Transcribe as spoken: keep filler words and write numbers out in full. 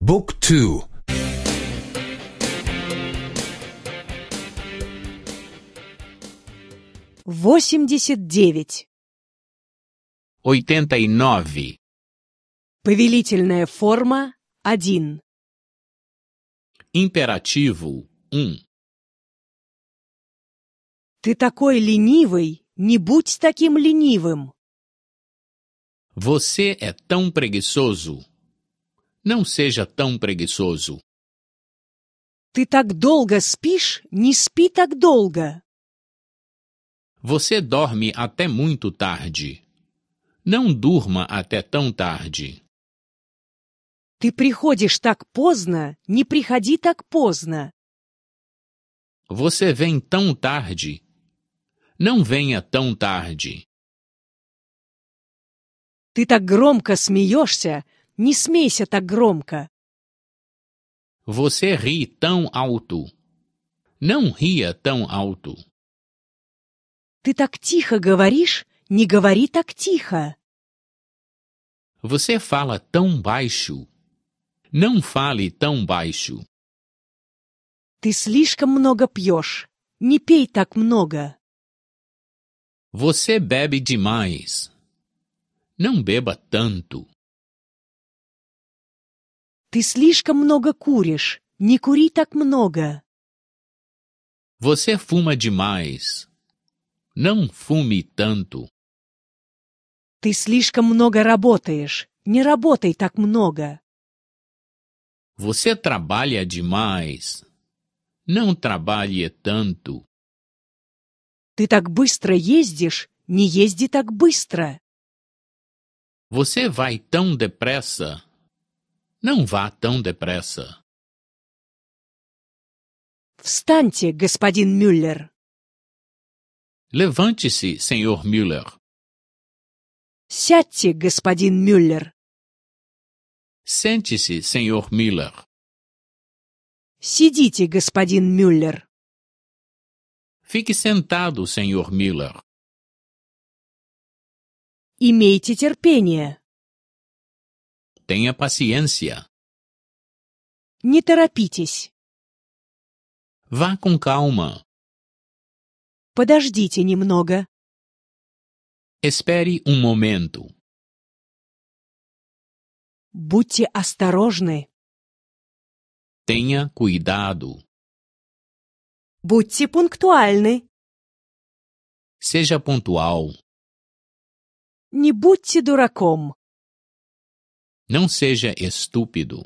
Book two. восемьдесят девять. oitenta e nove. Повелительная форма один. Imperativo um. Ты такой ленивый, не будь таким ленивым. Você é tão preguiçoso. Não seja tão preguiçoso. Ты так долго спишь, не спи так долго. Você dorme até muito tarde. Não durma até tão tarde. Ты приходишь так поздно, не приходи так поздно. Você vem tão tarde. Não venha tão tarde. Ты так громко смеешься, не смейся так громко. Você ri tão alto. Não ria tão alto. Ты так тихо говоришь, не говори так тихо. Você fala tão baixo. Não fale tão baixo. Ты слишком много пьешь, не пей так много. Você bebe demais. Não beba tanto. Ты слишком много куришь, не кури так много. Você fuma demais. Não fume tanto. Ты слишком много работаешь, не работай так много. Você trabalha demais. Não trabalhe tanto. Ты так быстро ездишь, не езди так быстро. Você vai tão depressa. Não vá tão depressa. Встаньте, господин Мюллер. Levante-se, senhor Müller. Сядьте, господин Мюллер. Sente-se, senhor Müller. Сидите, господин Мюллер. Fique sentado, senhor Müller. Имейте терпение. Tenha paciência. Не торопитесь. Vá com calma. Подождите немного. Espere um momento. Будьте осторожны. Tenha cuidado. Будьте пунктуальны. Seja pontual. Не будьте дураком. Não seja estúpido.